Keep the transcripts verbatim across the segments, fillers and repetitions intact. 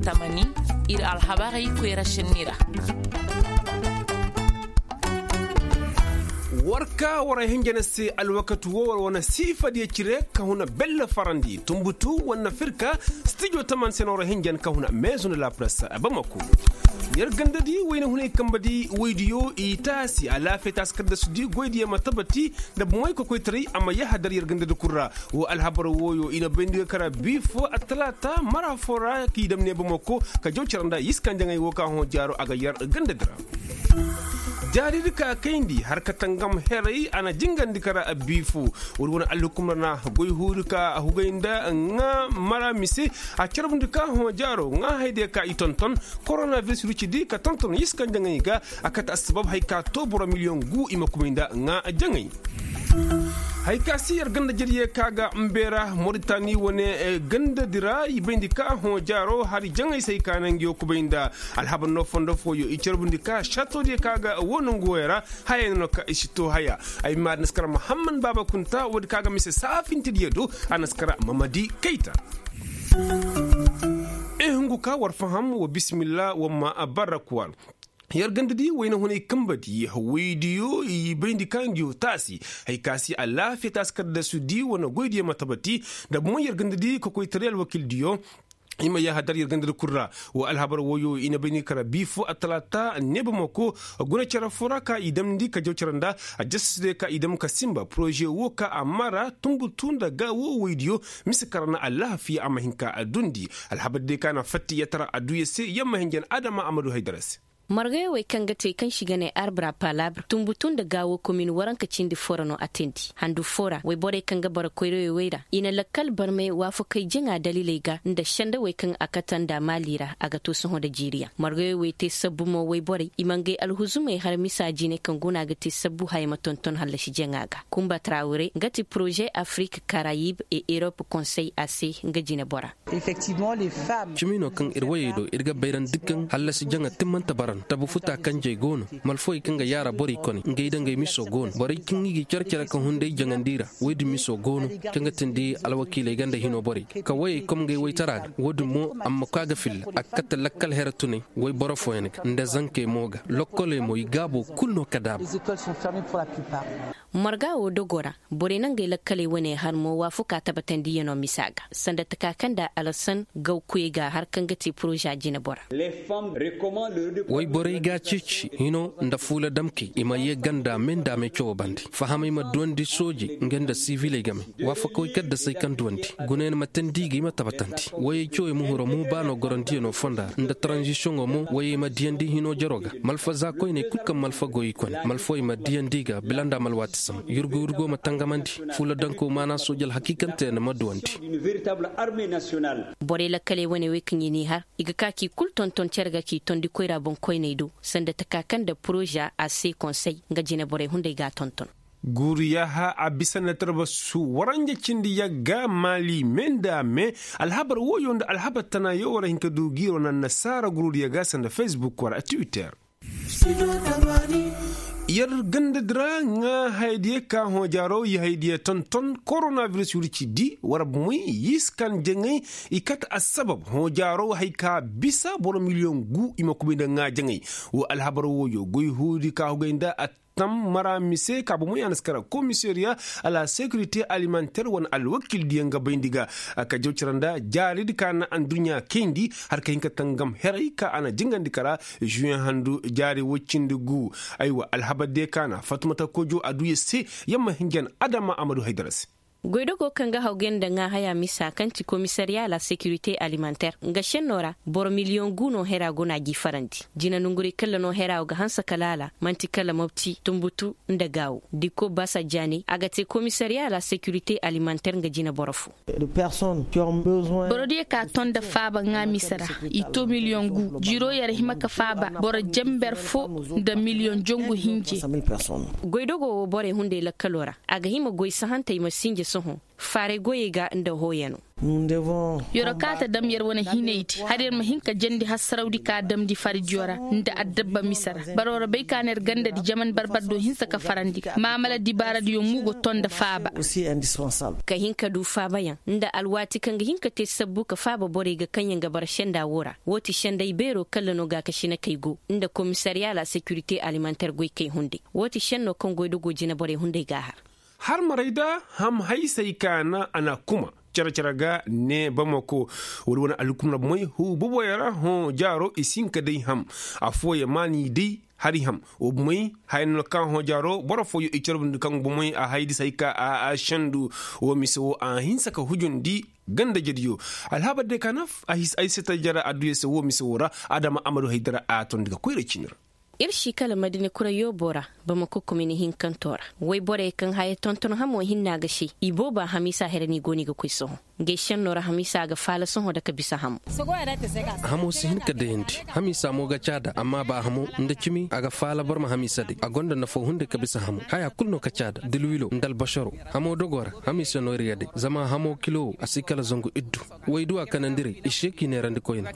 Tamani, ir alhabarey koyra šenni ra. War ka war hinja na se alwakati wo war wane siifadiyo cire ka huna belle farandi tumbutu wane firka stijo taman se na war hinjan ka huna meezu nda lapress. Bamako, yer gandadi wayna hunay kambadi waydiyo i taasi alaafiya taasi kaddasudi goydiyo ma tabati nda bomoy kokoytaray a ma yahadar yer gandadi kul ra. Wo alhabar wooyo i na bayndi ga kara bii fo attalaata mara fo ra k'i dam ne bamako ka jaw cara nda yiskanjaŋey wo ka hõ jaaro a ga yar gandadi ra. Jaaridi ka kayndi har ka tangam heray a na jingandi kara bii fo. Woodi wane alhukumar na goy huuri ka hugay nda ŋaa mara mise a carbundi ka hõ jaaro ŋaa haydiya ka i tonton koronabiris rucidi ka tonton yiskanjaŋey ga. A kate assabab hay ka to boro miliyoŋ gu i ma kumay nda ŋaa jaŋey. Hay ka si yer ganda jariye ka ga mbeera moritani wane gandadi ra i bayndi ka hõ jaaro hari jaŋey se hay ka naŋ ngiyo kubay nda alhabar no fondo fooyo i carbundi ka šatodiyo ka ga wo nongu woyo ra. Hayey no no ka i si to haya. Ay ma di na si kara muhammad baaba kunta woodi ka ga mise saafintidiyo do. A na si kara mamadi kayta. Ee hungu ka war faham wa bisimilla wa ma barrakuwar. Yer gandadi wayna hunay kambadi waydiyo i bayndi ka ngiyo taasi. Hay ka si alaafiya taasi kaddasudi wane goydiyo ma tabati nda bomoy yer gandadi kokoytaray alwakildiyo. I ma yahadar yer gandadi kul ra. Wa alhabar wooyo i na bayndi kara bii fo attalaata neeba mako guna cere fo ra ka i damndi ka jaw cere nda a jasasdiyo ka i dam ka sinba poroze wo ka a mara tumbutu nda ga wo waydiyo. Mise kara na alaafiya a ma hin ka dundi. Alhabardiyo ka na fatti yatara adduya se yer ma hin jan adama a ma du haydara se. Margayoo wey kaŋ ga te kaŋ se i ga ne arbra palabra tumbutu nda gaawo komin waranka cindi fo ra no a teendi handu fo ra woyborey kaŋ ga bara koyrawey wey ra i na lakkal barmey waafakey jaŋa daliiley ga nda sendawey kaŋ a kate nda maali ra a ga to sohõ nda jiiriyaŋ margayoo wey te sabbu mo woyborey i ma ngey alhuzumey har misa jine kaŋ guna ga te sabbu haya ma tonton hallasi jaŋa ga kumba trawre nga ti poroze afrik karayib e erop konsey a se nga jinebora. Cimi no kaŋ ir wayey do ir ga bayrandi kaŋ hallasi jaŋa timmante bara no tabu futa kanjey go no malfawey kaŋ ga yaara borey kone ngey da ngey miso go no borey kaŋ i ga care care ka hunday jaŋandi ra woy din miso go no kaŋ ga tindi alwakiiley ganda hino borey ka wayey kom ngey waytara ga wo- din mo a ma ka ga filla a ga kate lakkal here tuney wayboro fooyaŋ ga nda zankey mo ga lokkoley mo i gaabo kulu no ka daaba. Marga wo dogo ra borey na ngey lakkaley wane har mo waafaku a tabatandiyanoo misa ga sanda taka kaŋ nda alasan gawkuyey ga har kaŋ ga te poroza jinebora. Wayborey ga a ceeci hino nda fuula damkey i ma yee ganda me nda me cawo bande fahamey ma duwandi soojey nga nda siviley game. Waafakawey kaddasey kaŋ duwandi gunayaŋ ma teendi ga i ma tabatandi wayey cawey ma huro mo ba no gorandiyanoo fonda ra nda taranzisiyoŋo mo wayey ma diyandi hino jaro ga malfa za koyney kul kaŋ malfa go i kone malfawey ma diyandi ga bila nda malwaati sambu yurgu yurgo ma tangamandi fuula danko maana sooji alhakiikante yaŋ ma duwandi. Borey lakkaley wane wey kaŋ i n'i har i ga ka k'i kul tonton cere ga k'i tondi koyra boŋkoyney do sanda taka kaŋ nda poroza a se konsey nga jine borey hunday ga a tonton. Guuru yaaha a bisa nda tarbasu waranja cindi yagga maali me nda me. Alhabar wooyo nda alhabar tana yoo war hin ka du giiro na annasaara gurudiyo ga sanda facebook war a twitter. Yer gandadi ra ŋaa hayadiyo ka hõ jaaro i hayadiyo tonton koronabiris wirci di war bumey yiskan jaŋay. I kate assabab hõ jaaro hay ka bisa boro miliyoŋ gu i ma kubay nda ŋaa jaŋay. Wo alhabar wooyo goy huudi ka hugay nda a tam mara mise ka bomo yaŋ na si kara komisariya a la sekirite alimanter wane alwakildiyaŋ ga bayndi ga. Ka jaw cara nda jaaridi ka na adduɲɲa kayndi har ka hin ka tangam heray ka a na jingandi kara. Zuyen handu jaari woy cindi gu. Aywa alhabar de ka na fatumata kojo a du ya se. Yamma hinjan adama a ma du haydara se. Goydogo kaŋ ga hawgay nda ŋaa haya misa kaŋ ti komisariya la sekirite alimanter nga šenno ra boro miliyoŋ gu no hera go no a g'i farandi. Jina nongurey kalla no hera wo ga hanse ka laala man'ti kala mopti tunbutu nda gaawo dikko basa jaaney a ga te komisariya la sekirite alimanter nga jina boro fo. Borodiyo ka ton nda faaba ŋaa mise ra i to miliyoŋ gu jiro yer hima ka faaba boro jenber fo nda miliyoŋ jongu hinje. Goydogo wo borey hunday lakkalo ra. A ga hima goy sahantey ma sinji sohõ faaray goyey ga nda hooyano. Yer'o kaata dam yer wane hinay di har yer ma hin ka jandi hassarawdi ka damndi fardiyo ra nda addabba mise ra. Baroo ra bay ka na yer ganda di jaman barbar do hinsa ka farandi ga maamala dibaaradiyo mo go ton nda faaba. Ka hin ka du faabayaŋ nda alwaati kaŋ ga hin ka te sabbu ka faaba borey ga kaŋ yaŋ ga bara senda woo ra. Woo ti senday beeroo kalla no gaakasina kay go nda komisariya la sekirite alimanter goykey hunday. Woo ti senno kaŋ goydogoo jinaborey hunday g'a har. Har maray da ham haysay kaana a na kuma care-care ga ne bamako wala wane alhukumar bomoy huu boboyaŋ ra hõ jaaro i si hin ka day ham. Affooyaŋ maani day hari ham. Woo bomoy haya no kaŋ hõ jaaro boro fooyaŋ i carbundi kaŋ bomoy a hay di se hay ka a sendu. Woo mise woo a hinsa ka hujundi ganda jediyo. Alhabar day ka na ay se tajara adduya se woo mise woo ra. Adama amadu haydara a tondi ga koyra ciini ra. Ir si kala madina kura yoobo ra bamako komini hinkanto ra. Woy borey kaŋ haya tonton hamo hinna ga se i booba hamiisa here no i go no i ga koy sohõ. Ngey senno ra hamiisa ga faala sohõ da ka bisa hamo. Hamo si hin ka dayandi. Hamiisa mo ga caada amma ba hamo nda cimi a ga faala boro ma hamiisa day a gonda nafo hunday ka bisa hamo haya kulu no ka caada dilwilo nda albasaro. Hamo dogo ra hamiisa no ir ga day zama hamo kilo a si kala zangu iddu. Waydu a kanandiray i si ye k'i neerandi koyne.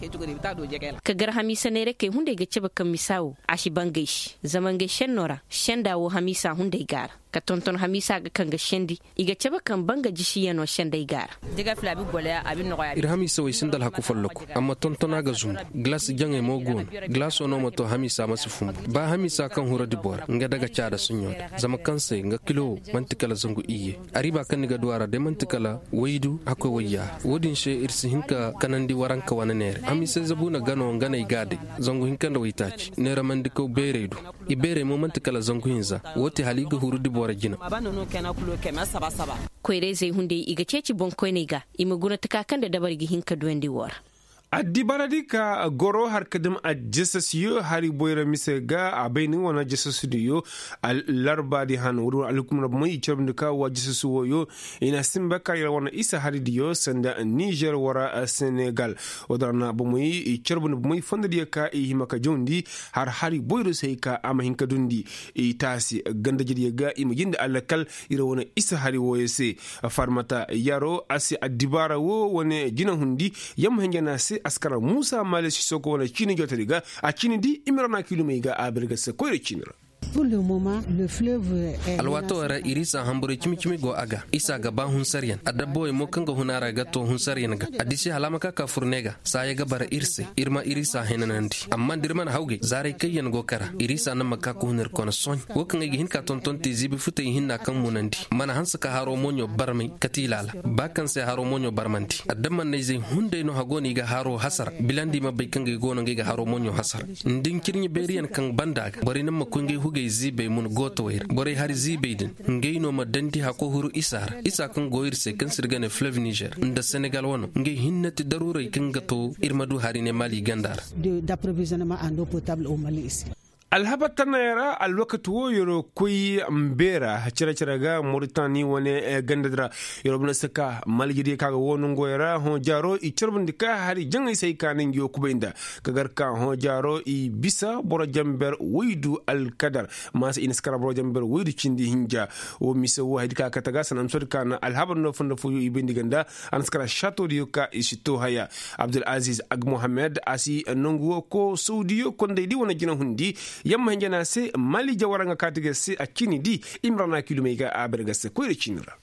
Ka gar hamiisa neerakey hunday ga cabe kaŋ misa wo a si bangay se zama ngey senno ra senda wo hamiisa hunday gaara. Ka tonton hamiisa ga kaŋ ga sendi i ga cabe kaŋ banga jisiyano senday gaara. Ir hamiisa wo i sinda alhaku folloku amma tontona ga zumbu. Gilas jaŋey mo go no. Gilaso no ma to hamiisa ma si fumbu ba hamiisa kaŋ hura dibo ra nga daga caada suɲɲo da zama kaŋ se nga kilo wo man'ti kala zangu iyye. Ariba kaŋ ni ga du a ra day man'ti kala waydu hakkoy wayya. Wo-din se ir si hin ka kanandi waranka wane neere hamiisay zabuuna gano nga no ay ga a day. Zangu hinka nda waytaaci neeramandikaw beerey du. I beerey mo man'ti kala zangu hinza. Wo ti hala i ga huru dibo ra jina. Koyra-izey hunday i ga ceeci boŋkoyney ga i ma guna taka kaŋ nda dabari ga hin ka duyandi woo ra. Addibaaradi ka goro har ka dam ajjasasiyo hari boyra mise ga a bay ni wane ajjasasidiyo. Larbaadi han woodi wane alhukumar bomoy i carbundi ka woo ajjasasi wooyo. I na sinba ka yar wane isa haridiyo sanda nizer wara senegal. Woodi ra na bomoy i carbundi bomoy fondodiyo ka i hima ka jawndi har hari boyro se hay ka a ma hin ka dundi. I taasi gandajediyo ga i ma jinde alakal iri wane isa hari wooyo se. Farmata yaro a si addibaara woo wane jinahundi. Yamma hinja na se askara muusa maale sisoko wane ciini jootari ga a ciini di i ma ra na kiilumey ga a bir ga se koyra ciini ra. Alwaatoo ra iriisa hamburay cimi-cimi go a ga isa ga ba hunsaryan adabbawey mo kaŋ ga hun a ra ga to hunsaryan ga. A disi hala a ma ka ka fur ne ga saaya ga bara ir se ir ma iriisa hinanandi amma da ir mana hawgay zaaray kaŋ yaŋ go kara iriisa naŋ ma ka ka hun ir kone sohõ. Wo kaŋ ay ga hin ka tonton te ziibi futey hinna kaŋ munandi mana hanse ka haro moɲo barmay kati laala ba kaŋ se haro moɲo barmandi adammanna-izey hunday no hago no i ga haro hasara bilandi ma bay kaŋ ga ay go no ngey ga haro moɲo hasara. Nda ncirɲi beeriyaŋ kaŋ banda ga borey naŋ ma koy ngey hugey ziibey mun gootawey ra borey hari ziibey din ngey no ma dandi hako huru isa ra isa kaŋ go ir se kaŋ se ir ga ne fleuve nizer nda senegal wano ngey hinne ti daruuray kaŋ ga to ir ma du hari ne mali ganda ra. Alhabar tanay ra alwakati wo yer'o koy mbeera cere-cere ga moritani wane gandadi ra. Yer'o bana si ka malijiriyo ka ga woo nongoyo ra hõ jaaro i carbundi ka hari jaŋay se ay ka na ngi wo kubay nda ka gar ka hõ jaaro i bisa boro jamber waydu alkadar. Maasa i na si kara boro jamber waydu cindi hinja. Wo mise wo haydi ka kate ga sanansodi ka na alhabar no fondo fooyo i bayndi ga nda a na si kara saatodiyo ka i si too haya. Abdul aziz agmohamed a si nangu wo ko sawdiyo kondaydi wane jinahundi. Yamma hinja no a se mali jawara nga kaati ga se a ciini di. I ma ra na kiilumey ga a bare ga se koyra ciini ra.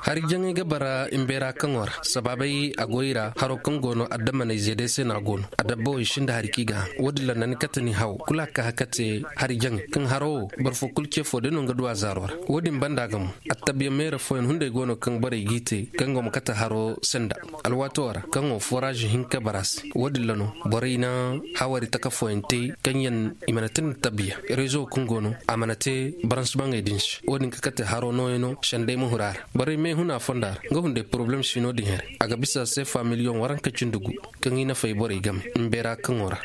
Hari jaŋay ga bara mbeera kaŋo ra sabaabey a goy ra haro kaŋ go no adammaney zeedey se no a go no. Adabbawey sinda hari kaŋ i ga haŋ wo-din ra na ni kate ni haw kulu a ka kate hari jaŋay kaŋ haro wo boro fo kulu ce fo day no nga du a zaaro ra. Wo-din banda ga mo attabiya meera fooyaŋ hunday go no kaŋ borey g'i te kaŋ go ma kate haro senda. Alwaatoo ra kaŋo foraaz hinka bara se wo-din ra no borey na hawari taka fooyaŋ te kaŋ yaŋ i mana te nda tabiya rezo kaŋ go no a mana te baransbaŋey din se wo-din ka kate haro nooyaŋo sendey ma huru a ra. Borey meehuna fonda ra nga hunday poroblem si no-din here a ga bisa seefa miliyoŋ waranka cindi gu kaŋ i nafay borey game mbeera kaŋo ra.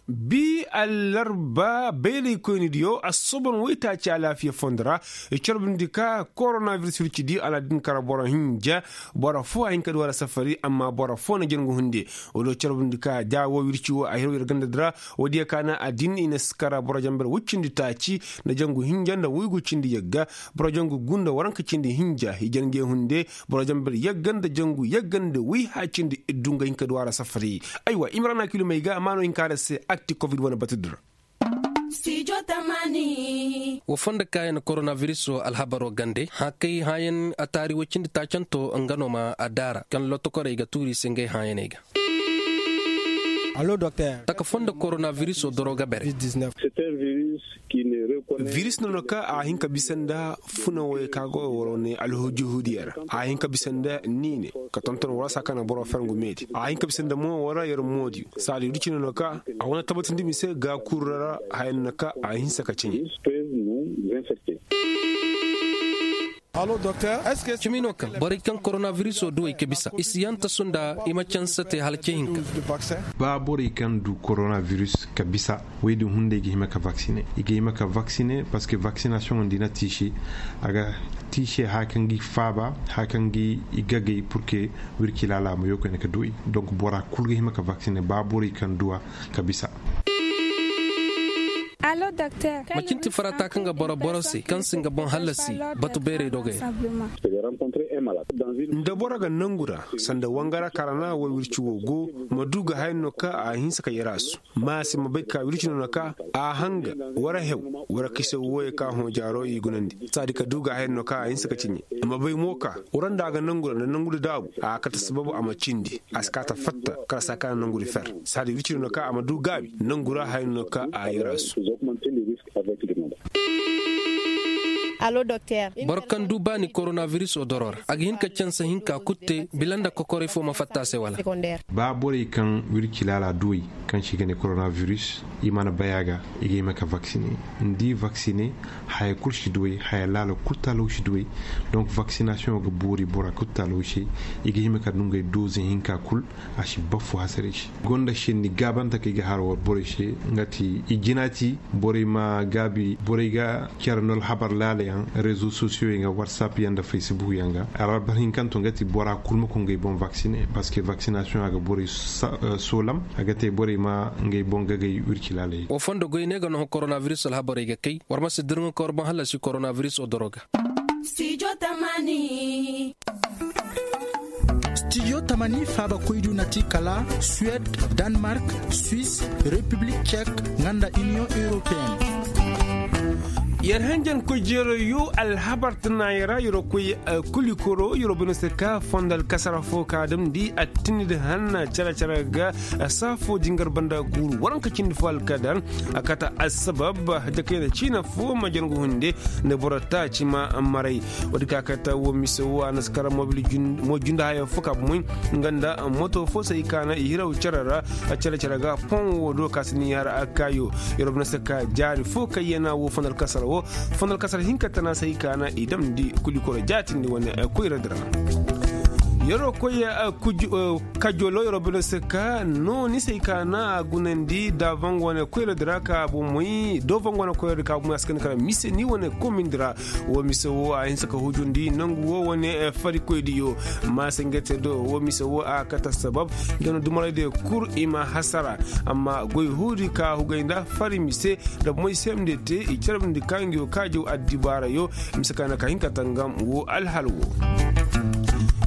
Bi allarba bayraykoynidiyo assobon waytaaci alaafiya fondo ra. I carbindi ka koronabiris wircidi a na din kara boro hinja. Boro foo a hin ka du a ra safari amma boro foo na jangu hunde. Woo do carbindi ka da woo wirci woo a hiro yer gandadi ra. Woodiyo ka na a din i na si kara boro jamber woy cindi taaci nda jangu hinja nda woygu cindi yagga. Boro jangu gu nda waranka cindi hinja i jan ngey hunde. Boro jamber yagga nda jangu yagga nda woy hã cindi iddu nga hin ka du a ra safari. Aywa i ma ra na kilumey ga a ma no hin ka a ra se akti covid wane batudi ra. Woo fondo kaayan koronabiris woo alhabaro gande hã kay hãyan a taari woy cindi taacanto nga no ma a daara kaŋ lotokorey ga tuuri i se ngey hãyaney ga. Taka fondo koronabiris woo doro ga bere. Biris no no ka a hin ka bisa nda funa woy ka go waro ne alhujuhudiya ra. A hin ka bisa nda niine ka tonton wara saa ka na boro fer ngu meedi a hin ka bisa nda mo wara yer moodiyo saadi wirci no no ka a wane tabatindi mise ga kurra ra. Haya no no ka a hinsa ka ceɲe. Cimi no kaŋ borey kaŋ koronabirisoo duwey ka bisa i si yanta sunda i ma canse te hala ce hinka. Ba borey kaŋ du koronabiris ka bisa wey din hunday ga hima ka vaksine i ga hima ka vaksine parceque vaksinasiyoŋo nda i na tiisi a ga tiise haya kaŋ ga i faaba haya kaŋ ga i gagay purke wirci laala ma yookoyne ka duwey. Donk bora kul ga hima ka vaksine ba borey kaŋ duwa ka bisa. Macin ti farata kaŋ ga boro boro se kaŋ si nga boŋ hallasi batu beerey dogey ra. Nda boro ga nangu ra sanda wangara karana war wirci wo go ma du ga haya no ka a hinsa ka yarasu ma se ma bay ka wirci no na ka a hanga wara hew wara kise woye ka hõ jaaro i gunandi saadi ka du ga haya no ka a hinsa ka ciɲe. Ma bay mo ka wara nda a ga nangu ra nda nangu da daabu a kate sababu a ma cindi a si ka ta fatta kala saa ka na nangu da fer saadi wirci no na ka a ma du gaabi nangu ra haya no ka a yarasu. Boro kaŋ du baani koronabirisoo doro ra a ga hin ka canse hinka kul te bila nda kokoray fo ma fatta a se wala? Ba borey kaŋ wirci laala duwey kaŋ se i ga ne koronabiris i mana bay a ga i ga hima ka vaksine. Ni di vaksine haya kul si duwey haya laala kul taalaw si duwey. Donk vaksinasiyoŋo ga boori bora kul taalaw se i ga hima ka du ngey doze hinka kul. A si baffu hasarey se gonda senni gaabante kaŋ i ga har war borey se nga ti i jinaati borey ma gaabi borey ga care nol habar laalayaŋ rezo sosiyoyaŋ ga watsap yaŋ nda faysibuk yaŋ ga. Alhabar hinkanto nga ti bora kul ma koy ngey boŋ vaksine parceque vaksinasiyoŋ a ga borey soolam a ga te borey ma ngey boŋ gagay wirci laalay. Wa fondo goy ne ga nohõ koronabiris alhabarey ga kay war ma si dirŋa ka war boŋ hallasi koronabiris odoro ga. Stijo tamani faaba koydu na ti kala suwed, danmark, swis, repiblik cek, nga nda iniyoŋ europeen. Yer hanjan koy jeero yo alhabar tana yer ra yer wo koy kulikoro yer wo bine se ka fondo alkasara fo ka damndi attindi hanna care care ga. Saafo jingar banda guuru waranka cindi fo alkadar a kata assabab jakayna ciina fo ma jangu hunde nda boro taaci ma maray. Woodi ka kata wo mise wo a na si kara mobil mo junda haya fo ka bomoy nga nda moto fo se i kaana i hiraw cere ra. Cere cere ga poŋ wo do ka si ni har a kaayo. Yer wo bine se ka jaari fo kaŋ yana wo fondo alkasara wo fondo alkasara hinka tana se i kaana i damndi kulikoro jaatindi wane koyra dira. Yer wo koy kajolo yer wo bine se ka no ni se i kaana a gunandi davango wane koyra dira ka bomoy davango wane koyra dira ka bomoy a si kani kara mise ni wane komindi ra. Wo mise wo a hinse ka hujundi nangu wo wane farikoydiyo. Ma se nga te do wo mise wo a kate sabab nga no dumaraydiyo kul i ma hasara. Amma goy huudi ka hugay nda fari mise nda moy semde te i carabindi ka nga yo kaajaw addibaarayo. Mise ka na ka hin ka tangam wo alhal wo.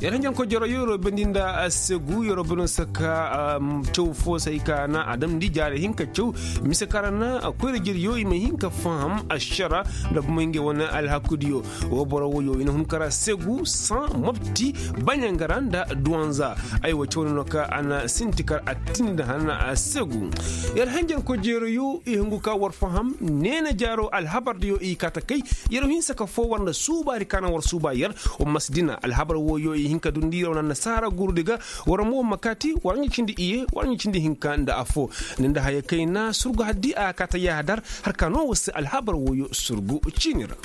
Yer hanjankoy jero yero bandi nda segu yero bandi nda saka caw fo se ay ka na a damndi jaari hinka caw. Mise ka ra na koyra jeriyo i ma hin ka faham ašara nda bumay ngey wane alhakudiyo. Wo boro woyo i na hun kara segu san mobti baɲangara nda duwanza. Aywa caw no no ka a na sinti kar a tindi hana a segu. Yer hanjankoy jeroyo i hungu ka war faham neena jaaro alhabardiyo i kaata kay. Yer hinsa ka fo war nda suubaari ka na war suuba yer. Wa ma si dina alhabar woyo i hin ka dundi yer wane annasaara guurudi ga. War mo wa ma kaati war ɲa cindi iye war ɲa cindi hinka nda afo. Ni nda haya kayna surgu haddi a kaata yaahadar. Har ka no war si alhabar woyo surgu ciini ra.